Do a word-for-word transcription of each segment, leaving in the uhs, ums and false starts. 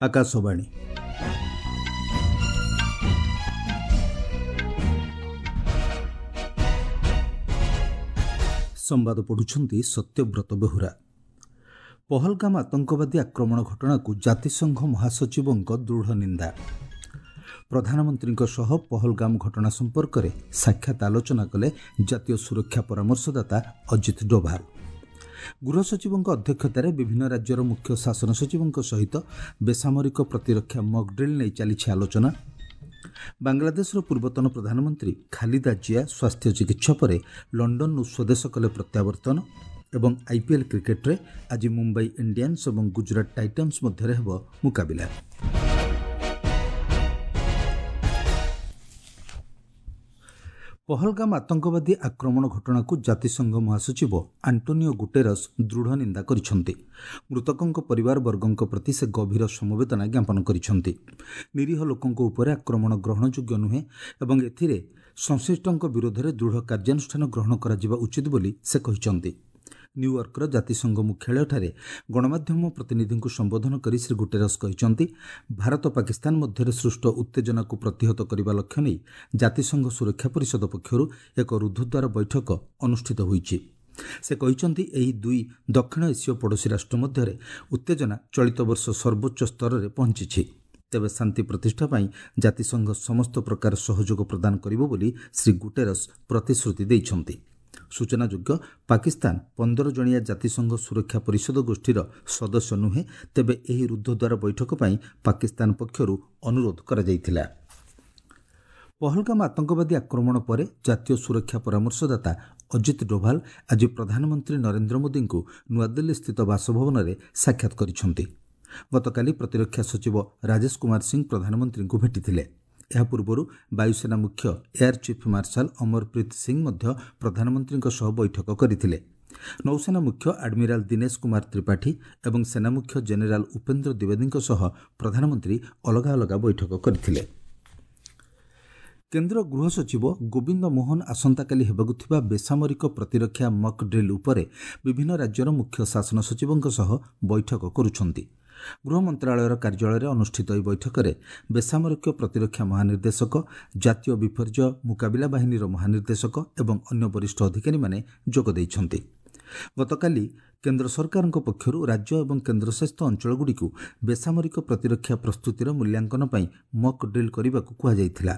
ଆକାଶବାଣୀ ସମ୍ବାଦ ପଢ଼ୁଛନ୍ତି ସତ୍ୟବ୍ରତ ବେହୁରା। ପହଲଗାମ ଆତଙ୍କବାଦୀ ଆକ୍ରମଣ ଘଟଣାକୁ ଜାତିସଂଘ ମହାସଚିବଙ୍କ ଦୃଢ଼ ନିନ୍ଦା। ପ୍ରଧାନମନ୍ତ୍ରୀଙ୍କ ସହ ପହଲଗାମ ଘଟଣା ସମ୍ପର୍କରେ ସାକ୍ଷାତ ଆଲୋଚନା କଲେ ଜାତୀୟ ସୁରକ୍ଷା ପରାମର୍ଶଦାତା ଅଜିତ ଡୋଭାଲ। ଗୃହ ସଚିବଙ୍କ ଅଧ୍ୟକ୍ଷତାରେ ବିଭିନ୍ନ ରାଜ୍ୟର ମୁଖ୍ୟ ଶାସନ ସଚିବଙ୍କ ସହିତ ବେସାମରିକ ପ୍ରତିରକ୍ଷା ମକ୍ ଡ୍ରିଲ୍ ନେଇ ଚାଲିଛି ଆଲୋଚନା। ବାଂଲାଦେଶର ପୂର୍ବତନ ପ୍ରଧାନମନ୍ତ୍ରୀ ଖାଲିଦା ଜିଆ ସ୍ୱାସ୍ଥ୍ୟ ଚିକିତ୍ସା ପରେ ଲଣ୍ଡନରୁ ସ୍ୱଦେଶ କଲେ ପ୍ରତ୍ୟାବର୍ତ୍ତନ। ଏବଂ ଆଇପିଏଲ୍ କ୍ରିକେଟରେ ଆଜି ମୁମ୍ବାଇ ଇଣ୍ଡିଆନ୍ସ ଏବଂ ଗୁଜରାଟ ଟାଇଟନ୍ସ ମଧ୍ୟରେ ହେବ ମୁକାବିଲା। ପହଲଗାମ ଆତଙ୍କବାଦୀ ଆକ୍ରମଣ ଘଟଣାକୁ ଜାତିସଂଘ ମହାସଚିବ ଆଣ୍ଟୋନିଓ ଗୁଟେରସ୍ ଦୃଢ଼ ନିନ୍ଦା କରିଛନ୍ତି। ମୃତକଙ୍କ ପରିବାରବର୍ଗଙ୍କ ପ୍ରତି ସେ ଗଭୀର ସମବେଦନା ଜ୍ଞାପନ କରିଛନ୍ତି। ନିରୀହ ଲୋକଙ୍କ ଉପରେ ଆକ୍ରମଣ ଗ୍ରହଣଯୋଗ୍ୟ ନୁହେଁ ଏବଂ ଏଥିରେ ସଂଶ୍ଳିଷ୍ଟଙ୍କ ବିରୋଧରେ ଦୃଢ଼ କାର୍ଯ୍ୟାନୁଷ୍ଠାନ ଗ୍ରହଣ କରାଯିବା ଉଚିତ ବୋଲି ସେ କହିଛନ୍ତି। ନ୍ୟୁୟର୍କର ଜାତିସଂଘ ମୁଖ୍ୟାଳୟଠାରେ ଗଣମାଧ୍ୟମ ପ୍ରତିନିଧିଙ୍କୁ ସମ୍ବୋଧନ କରି ଶ୍ରୀ ଗୁଟେରସ୍ କହିଛନ୍ତି, ଭାରତ ପାକିସ୍ତାନ ମଧ୍ୟରେ ସୃଷ୍ଟ ଉତ୍ତେଜନାକୁ ପ୍ରତିହତ କରିବା ଲକ୍ଷ୍ୟ ନେଇ ଜାତିସଂଘ ସୁରକ୍ଷା ପରିଷଦ ପକ୍ଷରୁ ଏକ ରୁଦ୍ଧଦ୍ୱାର ବୈଠକ ଅନୁଷ୍ଠିତ ହୋଇଛି। ସେ କହିଛନ୍ତି, ଏହି ଦୁଇ ଦକ୍ଷିଣ ଏସୀୟ ପଡ଼ୋଶୀ ରାଷ୍ଟ୍ର ମଧ୍ୟରେ ଉତ୍ତେଜନା ଚଳିତ ବର୍ଷ ସର୍ବୋଚ୍ଚ ସ୍ତରରେ ପହଞ୍ଚିଛି। ତେବେ ଶାନ୍ତି ପ୍ରତିଷ୍ଠା ପାଇଁ ଜାତିସଂଘ ସମସ୍ତ ପ୍ରକାର ସହଯୋଗ ପ୍ରଦାନ କରିବ ବୋଲି ଶ୍ରୀ ଗୁଟେରସ୍ ପ୍ରତିଶ୍ରୁତି ଦେଇଛନ୍ତି। ସୂଚନାଯୋଗ୍ୟ, ପାକିସ୍ତାନ ପନ୍ଦର ଜଣିଆ ଜାତିସଂଘ ସୁରକ୍ଷା ପରିଷଦ ଗୋଷ୍ଠୀର ସଦସ୍ୟ ନୁହେଁ। ତେବେ ଏହି ରୁଦ୍ଧଦ୍ୱାର ବୈଠକ ପାଇଁ ପାକିସ୍ତାନ ପକ୍ଷରୁ ଅନୁରୋଧ କରାଯାଇଥିଲା। ପହଲଗାମ ଆତଙ୍କବାଦୀ ଆକ୍ରମଣ ପରେ ଜାତୀୟ ସୁରକ୍ଷା ପରାମର୍ଶଦାତା ଅଜିତ ଡୋଭାଲ ଆଜି ପ୍ରଧାନମନ୍ତ୍ରୀ ନରେନ୍ଦ୍ର ମୋଦିଙ୍କୁ ନୂଆଦିଲ୍ଲୀସ୍ଥିତ ବାସଭବନରେ ସାକ୍ଷାତ କରିଛନ୍ତି। ଗତକାଲି ପ୍ରତିରକ୍ଷା ସଚିବ ରାଜେଶ କୁମାର ସିଂ ପ୍ରଧାନମନ୍ତ୍ରୀଙ୍କୁ ଭେଟିଥିଲେ। ଏହା ପୂର୍ବରୁ ବାୟୁସେନା ମୁଖ୍ୟ air chief marshal Amarpreet Singh ମଧ୍ୟ ପ୍ରଧାନମନ୍ତ୍ରୀଙ୍କ ସହ ବୈଠକ କରିଥିଲେ। ନୌସେନା ମୁଖ୍ୟ ଆଡମିରାଲ ଦିନେଶ କୁମାର ତ୍ରିପାଠୀ ଏବଂ ସେନା ମୁଖ୍ୟ ଜେନେରାଲ ଉପେନ୍ଦ୍ର ଦ୍ୱିବେଦୀଙ୍କ ସହ ପ୍ରଧାନମନ୍ତ୍ରୀ ଅଲଗା ଅଲଗା ବୈଠକ କରିଥିଲେ। କେନ୍ଦ୍ର ଗୃହ ସଚିବ ଗୋବିନ୍ଦ ମୋହନ ଆସନ୍ତାକାଲି ହେବାକୁ ଥିବା ବେସାମରିକ ପ୍ରତିରକ୍ଷା ମକ୍ ଡ୍ରିଲ୍ ଉପରେ ବିଭିନ୍ନ ରାଜ୍ୟର ମୁଖ୍ୟ ଶାସନ ସଚିବଙ୍କ ସହ ବୈଠକ କରୁଛନ୍ତି। ଗୃହ ମନ୍ତ୍ରଣାଳୟର କାର୍ଯ୍ୟାଳୟରେ ଅନୁଷ୍ଠିତ ଏହି ବୈଠକରେ ବେସାମରିକ ପ୍ରତିରକ୍ଷା ମହାନିର୍ଦ୍ଦେଶକ, ଜାତୀୟ ବିପର୍ଯ୍ୟୟ ମୁକାବିଲା ବାହିନୀର ମହାନିର୍ଦ୍ଦେଶକ ଏବଂ ଅନ୍ୟ ବରିଷ୍ଠ ଅଧିକାରୀମାନେ ଯୋଗ ଦେଇଛନ୍ତି। ଗତକାଲି କେନ୍ଦ୍ର ସରକାରଙ୍କ ପକ୍ଷରୁ ରାଜ୍ୟ ଏବଂ କେନ୍ଦ୍ରଶାସିତ ଅଞ୍ଚଳଗୁଡ଼ିକୁ ବେସାମରିକ ପ୍ରତିରକ୍ଷା ପ୍ରସ୍ତୁତିର ମୂଲ୍ୟାଙ୍କନ ପାଇଁ ମକ୍ ଡ୍ରିଲ୍ କରିବାକୁ କୁହାଯାଇଥିଲା।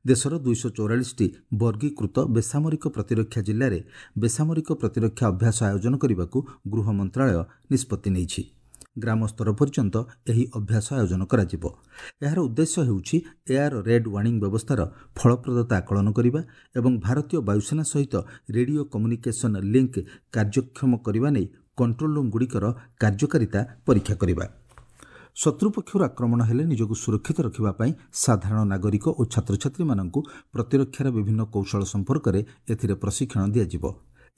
ଦେଶର ଦୁଇଶହ ଚଉରାଳିଶଟି ବର୍ଗୀକୃତ ବେସାମରିକ ପ୍ରତିରକ୍ଷା ଜିଲ୍ଲାରେ ବେସାମରିକ ପ୍ରତିରକ୍ଷା ଅଭ୍ୟାସ ଆୟୋଜନ କରିବାକୁ ଗୃହ ମନ୍ତ୍ରଣାଳୟ ନିଷ୍ପତ୍ତି ନେଇଛି। ଗ୍ରାମ ସ୍ତର ପର୍ଯ୍ୟନ୍ତ ଏହି ଅଭ୍ୟାସ ଆୟୋଜନ କରାଯିବ। ଏହାର ଉଦ୍ଦେଶ୍ୟ ହେଉଛି ଏୟାର ରେଡ୍ ୱାର୍ଣ୍ଣିଂ ବ୍ୟବସ୍ଥାର ଫଳପ୍ରଦତା ଆକଳନ କରିବା ଏବଂ ଭାରତୀୟ ବାୟୁସେନା ସହିତ ରେଡିଓ କମ୍ୟୁନିକେସନ୍ ଲିଙ୍କ୍ କାର୍ଯ୍ୟକ୍ଷମ କରିବା ନେଇ କଣ୍ଟ୍ରୋଲ ରୁମ୍ଗୁଡ଼ିକର କାର୍ଯ୍ୟକାରିତା ପରୀକ୍ଷା କରିବା। ଶତ୍ରୁ ପକ୍ଷରୁ ଆକ୍ରମଣ ହେଲେ ନିଜକୁ ସୁରକ୍ଷିତ ରଖିବା ପାଇଁ ସାଧାରଣ ନାଗରିକ ଓ ଛାତ୍ରଛାତ୍ରୀମାନଙ୍କୁ ପ୍ରତିରକ୍ଷାର ବିଭିନ୍ନ କୌଶଳ ସମ୍ପର୍କରେ ଏଥିରେ ପ୍ରଶିକ୍ଷଣ ଦିଆଯିବ।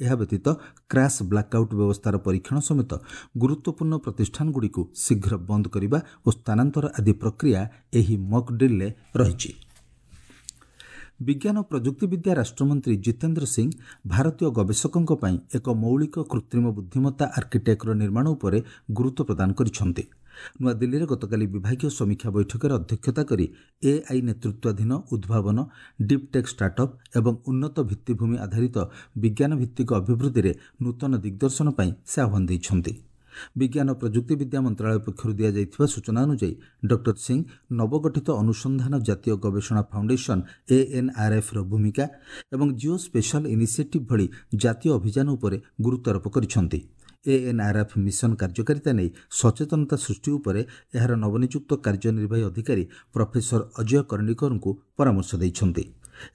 ଏହା ବ୍ୟତୀତ କ୍ରାସ୍ ବ୍ଲାକ୍ଆଉଟ୍ ବ୍ୟବସ୍ଥାର ପରୀକ୍ଷଣ ସମେତ ଗୁରୁତ୍ୱପୂର୍ଣ୍ଣ ପ୍ରତିଷ୍ଠାନଗୁଡ଼ିକୁ ଶୀଘ୍ର ବନ୍ଦ କରିବା ଓ ସ୍ଥାନାନ୍ତର ଆଦି ପ୍ରକ୍ରିୟା ଏହି ମକ୍ ଡ୍ରିଲ୍ରେ ରହିଛି। ବିଜ୍ଞାନ ଓ ପ୍ରଯୁକ୍ତିବିଦ୍ୟା ରାଷ୍ଟ୍ରମନ୍ତ୍ରୀ ଜିତେନ୍ଦ୍ର ସିଂ ଭାରତୀୟ ଗବେଷକଙ୍କ ପାଇଁ ଏକ ମୌଳିକ କୃତ୍ରିମ ବୁଦ୍ଧିମତ୍ତା ଆର୍କିଟେକ୍ଟର ନିର୍ମାଣ ଉପରେ ଗୁରୁତ୍ୱ ପ୍ରଦାନ କରିଛନ୍ତି। ନୂଆଦିଲ୍ଲୀରେ ଗତକାଲି ବିଭାଗୀୟ ସମୀକ୍ଷା ବୈଠକରେ ଅଧ୍ୟକ୍ଷତା କରି ଏଆଇ ନେତୃତ୍ୱାଧୀନ ଉଦ୍ଭାବନ, ଡିପ୍ ଟେକ୍ ଷ୍ଟାର୍ଟଅପ୍ ଏବଂ ଉନ୍ନତ ଭିତ୍ତିଭୂମି ଆଧାରିତ ବିଜ୍ଞାନଭିତ୍ତିକ ଅଭିବୃଦ୍ଧିରେ ନୂତନ ଦିଗ୍ଦର୍ଶନ ପାଇଁ ସେ ଆହ୍ୱାନ ଦେଇଛନ୍ତି। ବିଜ୍ଞାନ ଓ ପ୍ରଯୁକ୍ତିବିଦ୍ୟା ମନ୍ତ୍ରଣାଳୟ ପକ୍ଷରୁ ଦିଆଯାଇଥିବା ସୂଚନା ଅନୁଯାୟୀ ଡକ୍ଟର ସିଂ ନବଗଠିତ ଅନୁସନ୍ଧାନ ଜାତୀୟ ଗବେଷଣା ଫାଉଣ୍ଡେସନ୍ ଏଏନ୍ଆର୍ଏଫ୍ର ଭୂମିକା ଏବଂ ଜିଓ ସ୍ପେଶାଲ ଇନିସିଏଟିଭ୍ ଭଳି ଜାତୀୟ ଅଭିଯାନ ଉପରେ ଗୁରୁତ୍ୱାରୋପ କରିଛନ୍ତି। ଏଏନ୍ଆର୍ଏଫ୍ ମିଶନ କାର୍ଯ୍ୟକାରିତା ନେଇ ସଚେତନତା ସୃଷ୍ଟି ଉପରେ ଏହାର ନବନିଯୁକ୍ତ କାର୍ଯ୍ୟନିର୍ବାହୀ ଅଧିକାରୀ ପ୍ରଫେସର ଅଜୟ କର୍ଣ୍ଣିକରଙ୍କୁ ପରାମର୍ଶ ଦେଇଛନ୍ତି।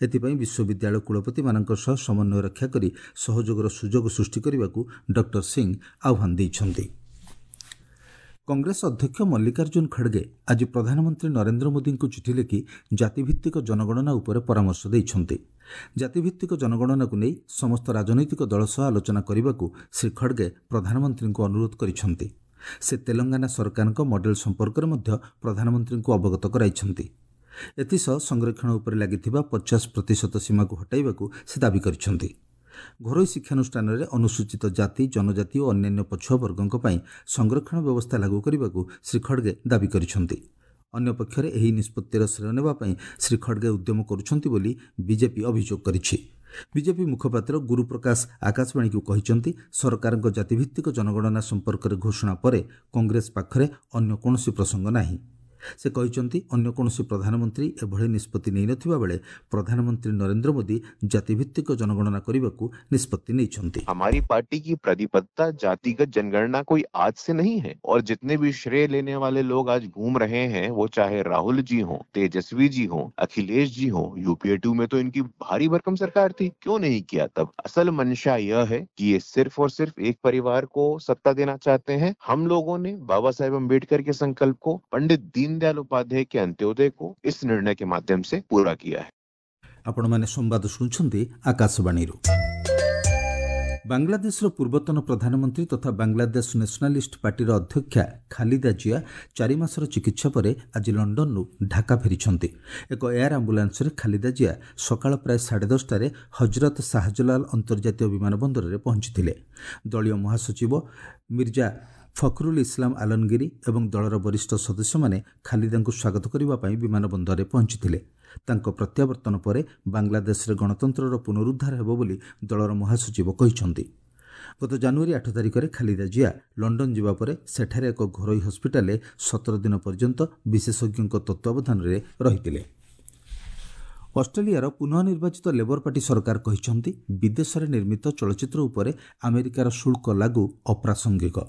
ଏଥିପାଇଁ ବିଶ୍ୱବିଦ୍ୟାଳୟ କୁଳପତିମାନଙ୍କ ସହ ସମନ୍ୱୟ ରକ୍ଷା କରି ସହଯୋଗର ସୁଯୋଗ ସୃଷ୍ଟି କରିବାକୁ ଡକ୍ଟର ସିଂ ଆହ୍ୱାନ ଦେଇଛନ୍ତି। କଂଗ୍ରେସ ଅଧ୍ୟକ୍ଷ ମଲ୍ଲିକାର୍ଜୁନ ଖଡ଼ଗେ ଆଜି ପ୍ରଧାନମନ୍ତ୍ରୀ ନରେନ୍ଦ୍ର ମୋଦିଙ୍କୁ ଚିଠି ଲେଖି ଜାତିଭିତ୍ତିକ ଜନଗଣନା ଉପରେ ପରାମର୍ଶ ଦେଇଛନ୍ତି। ଜାତିଭିତ୍ତିକ ଜନଗଣନାକୁ ନେଇ ସମସ୍ତ ରାଜନୈତିକ ଦଳ ସହ ଆଲୋଚନା କରିବାକୁ ଶ୍ରୀ ଖଡ଼ଗେ ପ୍ରଧାନମନ୍ତ୍ରୀଙ୍କୁ ଅନୁରୋଧ କରିଛନ୍ତି। ସେ ତେଲଙ୍ଗାନା ସରକାରଙ୍କ ମଡେଲ ସମ୍ପର୍କରେ ମଧ୍ୟ ପ୍ରଧାନମନ୍ତ୍ରୀଙ୍କୁ ଅବଗତ କରାଇଛନ୍ତି। ଏଥିସହ ସଂରକ୍ଷଣ ଉପରେ ଲାଗିଥିବା ପଚାଶ ପ୍ରତିଶତ ସୀମାକୁ ହଟାଇବାକୁ ସେ ଦାବି କରିଛନ୍ତି। ଘରୋଇ ଶିକ୍ଷାନୁଷ୍ଠାନରେ ଅନୁସୂଚିତ ଜାତି, ଜନଜାତି ଓ ଅନ୍ୟାନ୍ୟ ପଛୁଆ ବର୍ଗଙ୍କ ପାଇଁ ସଂରକ୍ଷଣ ବ୍ୟବସ୍ଥା ଲାଗୁ କରିବାକୁ ଶ୍ରୀ ଖଡ଼ଗେ ଦାବି କରିଛନ୍ତି। ଅନ୍ୟପକ୍ଷରେ ଏହି ନିଷ୍ପତ୍ତିର ଶ୍ରେୟ ନେବା ପାଇଁ ଶ୍ରୀ ଖଡ଼ଗେ ଉଦ୍ୟମ କରୁଛନ୍ତି ବୋଲି ବିଜେପି ଅଭିଯୋଗ କରିଛି। ବିଜେପି ମୁଖପାତ୍ର ଗୁରୁପ୍ରକାଶ ଆକାଶବାଣୀକୁ କହିଛନ୍ତି, ସରକାରଙ୍କ ଜାତିଭିତ୍ତିକ ଜନଗଣନା ସମ୍ପର୍କରେ ଘୋଷଣା ପରେ କଂଗ୍ରେସ ପାଖରେ ଅନ୍ୟ କୌଣସି ପ୍ରସଙ୍ଗ ନାହିଁ। ସେ କହିଛନ୍ତି, ଅନ୍ୟ କୌଣସି ପ୍ରଧାନମନ୍ତ୍ରୀ ଏଭଳି ନିଷ୍ପତ୍ତି ନେଇନଥିବା ବେଳେ ପ୍ରଧାନମନ୍ତ୍ରୀ ନରେନ୍ଦ୍ର ମୋଦି ଜାତିଭିତ୍ତିକ ଜନଗଣନା କରିବାକୁ ନିଷ୍ପତ୍ତି ନେଇଛନ୍ତି। हमारी पार्टी की प्रतिबद्धता जातिगत जनगणना कोई आज से नहीं है और जितने भी श्रेय लेने वाले लोग आज घूम रहे हैं, वो चाहे राहुल जी हों, तेजस्वी जी हों, अखिलेश जी हों, यूपीए टू में तो इनकी भारी भरकम सरकार थी, क्यों नहीं किया तब? असल मंशा यह है कि ये सिर्फ और सिर्फ एक परिवार को सत्ता देना चाहते हैं। हम लोगों ने बाबा साहेब अम्बेडकर के संकल्प को, पंडित दीनदयाल उपाध्याय के अंत्योदय को इस निर्णय के माध्यम से पूरा किया है। ଆପଣମାନେ ସମ୍ବାଦ ଶୁଣୁଛନ୍ତି ଆକାଶବାଣୀରୁ। ବାଂଲାଦେଶର ପୂର୍ବତନ ପ୍ରଧାନମନ୍ତ୍ରୀ ତଥା ବାଂଲାଦେଶ ନ୍ୟାସନାଲିଷ୍ଟ ପାର୍ଟିର ଅଧ୍ୟକ୍ଷା ଖାଲିଦା ଜିଆ ଚାରି ମାସର ଚିକିତ୍ସା ପରେ ଆଜି ଲଣ୍ଡନରୁ ଢାକା ଫେରିଛନ୍ତି। ଏକ ଏୟାର ଆମ୍ବୁଲାନ୍ସରେ ଖାଲିଦା ଜିଆ ସକାଳ ପ୍ରାୟ ସାଢ଼େ ଦଶଟାରେ ହଜରତ ଶାହଜଲାଲ ଅନ୍ତର୍ଜାତୀୟ ବିମାନ ବନ୍ଦରରେ ପହଞ୍ଚିଥିଲେ। ଦଳୀୟ ମହାସଚିବ ମିର୍ଜା ଫଖରୁଲ ଇସଲାମ ଆଲମଗିରି ଏବଂ ଦଳର ବରିଷ୍ଠ ସଦସ୍ୟମାନେ ଖାଲିଦାଙ୍କୁ ସ୍ୱାଗତ କରିବା ପାଇଁ ବିମାନ ବନ୍ଦରରେ ପହଞ୍ଚିଥିଲେ। ତାଙ୍କ ପ୍ରତ୍ୟାବର୍ତ୍ତନ ପରେ ବାଂଲାଦେଶରେ ଗଣତନ୍ତ୍ରର ପୁନରୁଦ୍ଧାର ହେବ ବୋଲି ଦଳର ମହାସଚିବ କହିଛନ୍ତି। ଗତ ଜାନୁଆରୀ ଆଠ ତାରିଖରେ ଖାଲିଦା ଜିଆ ଲଣ୍ଡନ ଯିବା ପରେ ସେଠାରେ ଏକ ଘରୋଇ ହସ୍ପିଟାଲରେ ସତର ଦିନ ପର୍ଯ୍ୟନ୍ତ ବିଶେଷଜ୍ଞଙ୍କ ତତ୍ତ୍ୱାବଧାନରେ ରହିଥିଲେ। ଅଷ୍ଟ୍ରେଲିଆର ପୁନଃ ନିର୍ବାଚିତ ଲେବର ପାର୍ଟି ସରକାର କହିଛନ୍ତି, ବିଦେଶରେ ନିର୍ମିତ ଚଳଚ୍ଚିତ୍ର ଉପରେ ଆମେରିକାର ଶୁଳ୍କ ଲାଗୁ ଅପ୍ରାସଙ୍ଗିକ।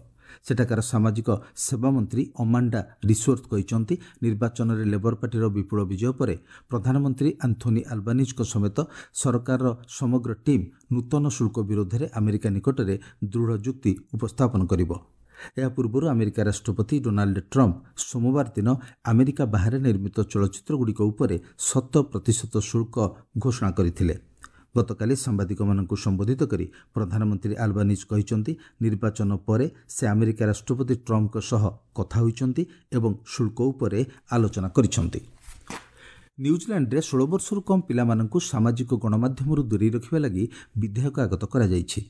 ସେଠାକାର ସାମାଜିକ ସେବା ମନ୍ତ୍ରୀ ଅମାଣ୍ଡା ରିସୋର୍ଥ କହିଛନ୍ତି, ନିର୍ବାଚନରେ ଲେବର ପାର୍ଟିର ବିପୁଳ ବିଜୟ ପରେ ପ୍ରଧାନମନ୍ତ୍ରୀ ଆନ୍ଥୋନି ଆଲବାନିଜଙ୍କ ସମେତ ସରକାରର ସମଗ୍ର ଟିମ୍ ନୂତନ ଶୁଳ୍କ ବିରୋଧରେ ଆମେରିକା ନିକଟରେ ଦୃଢ଼ ଯୁକ୍ତି ଉପସ୍ଥାପନ କରିବ। ଏହା ପୂର୍ବରୁ ଆମେରିକା ରାଷ୍ଟ୍ରପତି ଡୋନାଲ୍ଡ ଟ୍ରମ୍ପ ସୋମବାର ଦିନ ଆମେରିକା ବାହାରେ ନିର୍ମିତ ଚଳଚ୍ଚିତ୍ରଗୁଡ଼ିକ ଉପରେ ଶତ ପ୍ରତିଶତ ଶୁଳ୍କ ଘୋଷଣା କରିଥିଲେ। ଗତକାଲି ସାମ୍ବାଦିକମାନଙ୍କୁ ସମ୍ବୋଧିତ କରି ପ୍ରଧାନମନ୍ତ୍ରୀ ଆଲବାନିଜ୍ କହିଛନ୍ତି, ନିର୍ବାଚନ ପରେ ସେ ଆମେରିକା ରାଷ୍ଟ୍ରପତି ଟ୍ରମ୍ପଙ୍କ ସହ କଥା ହୋଇଛନ୍ତି ଏବଂ ଶୁଳ୍କ ଉପରେ ଆଲୋଚନା କରିଛନ୍ତି। ନ୍ୟୁଜିଲାଣ୍ଡରେ ଷୋହଳ ବର୍ଷରୁ କମ୍ ପିଲାମାନଙ୍କୁ ସାମାଜିକ ଗଣମାଧ୍ୟମରୁ ଦୂରେଇ ରଖିବା ଲାଗି ବିଧେୟକ ଆଗତ କରାଯାଇଛି।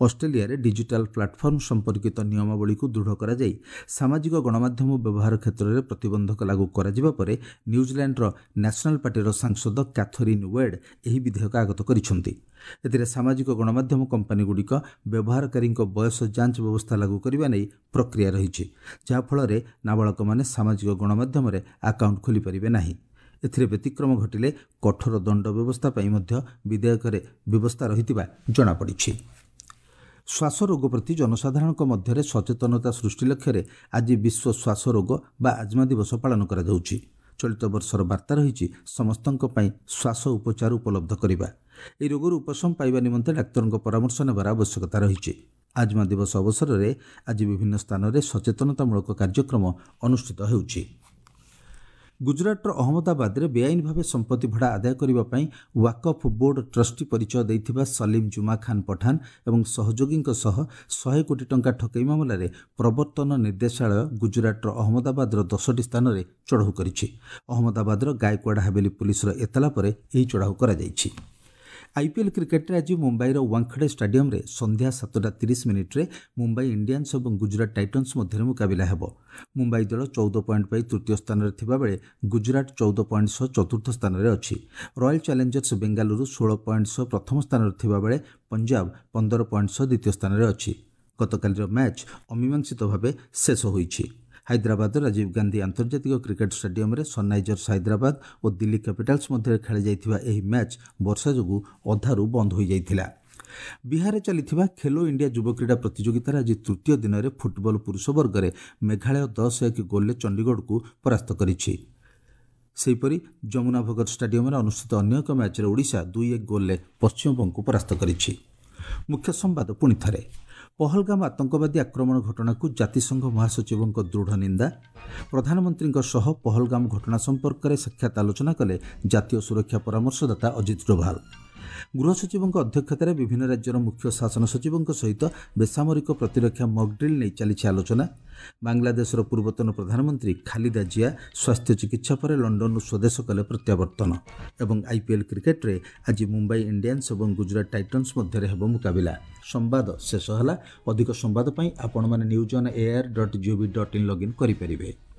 ଅଷ୍ଟ୍ରେଲିଆରେ ଡିଜିଟାଲ ପ୍ଲାଟଫର୍ମ ସମ୍ପର୍କିତ ନିୟମାବଳୀକୁ ଦୃଢ଼ କରାଯାଇ ସାମାଜିକ ଗଣମାଧ୍ୟମ ବ୍ୟବହାର କ୍ଷେତ୍ରରେ ପ୍ରତିବନ୍ଧକ ଲାଗୁ କରାଯିବା ପରେ ନ୍ୟୁଜିଲାଣ୍ଡର ନ୍ୟାସନାଲ ପାର୍ଟିର ସାଂସଦ କ୍ୟାଥରିନ୍ ୱେଡ୍ ଏହି ବିଧେୟକ ଆଗତ କରିଛନ୍ତି। ଏଥିରେ ସାମାଜିକ ଗଣମାଧ୍ୟମ କମ୍ପାନୀଗୁଡ଼ିକ ବ୍ୟବହାରକାରୀଙ୍କ ବୟସ ଯାଞ୍ଚ ବ୍ୟବସ୍ଥା ଲାଗୁ କରିବା ନେଇ ପ୍ରକ୍ରିୟା ରହିଛି, ଯାହାଫଳରେ ନାବାଳକମାନେ ସାମାଜିକ ଗଣମାଧ୍ୟମରେ ଆକାଉଣ୍ଟ ଖୋଲିପାରିବେ ନାହିଁ। ଏଥିରେ ବ୍ୟତିକ୍ରମ ଘଟିଲେ କଠୋର ଦଣ୍ଡ ବ୍ୟବସ୍ଥା ପାଇଁ ମଧ୍ୟ ବିଧେୟକରେ ବ୍ୟବସ୍ଥା ରହିଥିବା ଜଣାପଡ଼ିଛି। ଶ୍ୱାସ ରୋଗ ପ୍ରତି ଜନସାଧାରଣଙ୍କ ମଧ୍ୟରେ ସଚେତନତା ସୃଷ୍ଟି ଲକ୍ଷ୍ୟରେ ଆଜି ବିଶ୍ୱ ଶ୍ୱାସ ରୋଗ ବା ଆଜମା ଦିବସ ପାଳନ କରାଯାଉଛି। ଚଳିତ ବର୍ଷର ବାର୍ତ୍ତା ରହିଛି, ସମସ୍ତଙ୍କ ପାଇଁ ଶ୍ୱାସ ଉପଚାର ଉପଲବ୍ଧ କରିବା। ଏହି ରୋଗରୁ ଉପଶମ ପାଇବା ନିମନ୍ତେ ଡାକ୍ତରଙ୍କ ପରାମର୍ଶ ନେବାର ଆବଶ୍ୟକତା ରହିଛି। ଆଜମା ଦିବସ ଅବସରରେ ଆଜି ବିଭିନ୍ନ ସ୍ଥାନରେ ସଚେତନତାମୂଳକ କାର୍ଯ୍ୟକ୍ରମ ଅନୁଷ୍ଠିତ ହେଉଛି। ଗୁଜରାଟର ଅହମ୍ମଦାବାଦରେ ବେଆଇନ ଭାବେ ସମ୍ପତ୍ତି ଭଡ଼ା ଆଦାୟ କରିବା ପାଇଁ ୱାକଫ୍ ବୋର୍ଡ ଟ୍ରଷ୍ଟି ପରିଚୟ ଦେଇଥିବା ସଲିମ ଜୁମା ଖାନ୍ ପଠାନ ଏବଂ ସହଯୋଗୀଙ୍କ ସହ ଶହେ କୋଟି ଟଙ୍କା ଠକେଇ ମାମଲାରେ ପ୍ରବର୍ତ୍ତନ ନିର୍ଦ୍ଦେଶାଳୟ ଗୁଜରାଟର ଅହମ୍ମଦାବାଦର ଦଶଟି ସ୍ଥାନରେ ଚଢ଼ାଉ କରିଛି। ଅହମ୍ମଦାବାଦର ଗାୟକୱାଡ଼ ହାବେଲି ପୁଲିସର ଏତଲା ପରେ ଏହି ଚଢ଼ାଉ କରାଯାଇଛି। ଆଇପିଏଲ୍ କ୍ରିକେଟରେ ଆଜି ମୁମ୍ବାଇର ୱାଙ୍ଖଡ଼େ ଷ୍ଟାଡିୟମରେ ସନ୍ଧ୍ୟା ସାତଟା ତିରିଶ ମିନିଟ୍ରେ ମୁମ୍ବାଇ ଇଣ୍ଡିଆନ୍ସ ଏବଂ ଗୁଜରାଟ ଟାଇଟନ୍ସ ମଧ୍ୟରେ ମୁକାବିଲା ହେବ। ମୁମ୍ବାଇ ଦଳ ଚଉଦ ପଏଣ୍ଟ ପାଇ ତୃତୀୟ ସ୍ଥାନରେ ଥିବାବେଳେ ଗୁଜରାଟ ଚଉଦ ପଏଣ୍ଟ ସହ ଚତୁର୍ଥ ସ୍ଥାନରେ ଅଛି। ରୟାଲ ଚ୍ୟାଲେଞ୍ଜର୍ସ ବେଙ୍ଗାଲୁରୁ ଷୋହଳ ପଏଣ୍ଟ ସହ ପ୍ରଥମ ସ୍ଥାନରେ ଥିବାବେଳେ ପଞ୍ଜାବ ପନ୍ଦର ପଏଣ୍ଟ ସହ ଦ୍ୱିତୀୟ ସ୍ଥାନରେ ଅଛି। ଗତକାଲିର ମ୍ୟାଚ୍ ଅମୀମାଂସିତ ଭାବେ ଶେଷ ହୋଇଛି। ହାଇଦ୍ରାବାଦର ରାଜୀବ ଗାନ୍ଧୀ ଆନ୍ତର୍ଜାତିକ କ୍ରିକେଟ ଷ୍ଟାଡିୟମରେ ସନ୍ରାଇଜର୍ସ ହାଇଦ୍ରାବାଦ ଓ ଦିଲ୍ଲୀ କ୍ୟାପିଟାଲ୍ସ ମଧ୍ୟରେ ଖେଳାଯାଇଥିବା ଏହି ମ୍ୟାଚ୍ ବର୍ଷା ଯୋଗୁଁ ଅଧାରୁ ବନ୍ଦ ହୋଇଯାଇଥିଲା। ବିହାରରେ ଚାଲିଥିବା ଖେଲୋ ଇଣ୍ଡିଆ ଯୁବ କ୍ରୀଡ଼ା ପ୍ରତିଯୋଗିତାର ଆଜି ତୃତୀୟ ଦିନରେ ଫୁଟବଲ ପୁରୁଷ ବର୍ଗରେ ମେଘାଳୟ ଦଶ ଏକ ଗୋଲ୍ରେ ଚଣ୍ଡିଗଡ଼କୁ ପରାସ୍ତ କରିଛି। ସେହିପରି ଯମୁନା ଭଗତ ଷ୍ଟାଡିୟମରେ ଅନୁଷ୍ଠିତ ଅନ୍ୟ ଏକ ମ୍ୟାଚ୍ରେ ଓଡ଼ିଶା ଦୁଇ ଏକ ଗୋଲ୍ରେ ପଶ୍ଚିମବଙ୍ଗକୁ ପରାସ୍ତ କରିଛି। ମୁଖ୍ୟ ସମ୍ବାଦ ପୁଣି ଥରେ। ପହଲଗାମ ଆତଙ୍କବାଦୀ ଆକ୍ରମଣ ଘଟଣାକୁ ଜାତିସଂଘ ମହାସଚିବଙ୍କ ଦୃଢ଼ ନିନ୍ଦା। ପ୍ରଧାନମନ୍ତ୍ରୀଙ୍କ ସହ ପହଲଗାମ ଘଟଣା ସମ୍ପର୍କରେ ସାକ୍ଷାତ ଆଲୋଚନା କଲେ ଜାତୀୟ ସୁରକ୍ଷା ପରାମର୍ଶଦାତା ଅଜିତ ଡୋଭାଲ। ଗୃହ ସଚିବଙ୍କ ଅଧ୍ୟକ୍ଷତାରେ ବିଭିନ୍ନ ରାଜ୍ୟର ମୁଖ୍ୟ ଶାସନ ସଚିବଙ୍କ ସହିତ ବେସାମରିକ ପ୍ରତିରକ୍ଷା ମକଡ୍ରିଲ୍ ନେଇ ଚାଲିଛି ଆଲୋଚନା। ବାଂଲାଦେଶର ପୂର୍ବତନ ପ୍ରଧାନମନ୍ତ୍ରୀ ଖାଲିଦା ଜିଆ ସ୍ୱାସ୍ଥ୍ୟ ଚିକିତ୍ସା ପରେ ଲଣ୍ଡନରୁ ସ୍ୱଦେଶ କଲେ ପ୍ରତ୍ୟାବର୍ତ୍ତନ। ଏବଂ ଆଇପିଏଲ୍ କ୍ରିକେଟରେ ଆଜି ମୁମ୍ବାଇ ଇଣ୍ଡିଆନ୍ସ ଏବଂ ଗୁଜରାଟ ଟାଇଟନ୍ସ ମଧ୍ୟରେ ହେବ ମୁକାବିଲା। ସମ୍ବାଦ ଶେଷ ହେଲା। ଅଧିକ ସମ୍ବାଦ ପାଇଁ ଆପଣମାନେ news on air dot gov dot in login କରିପାରିବେ।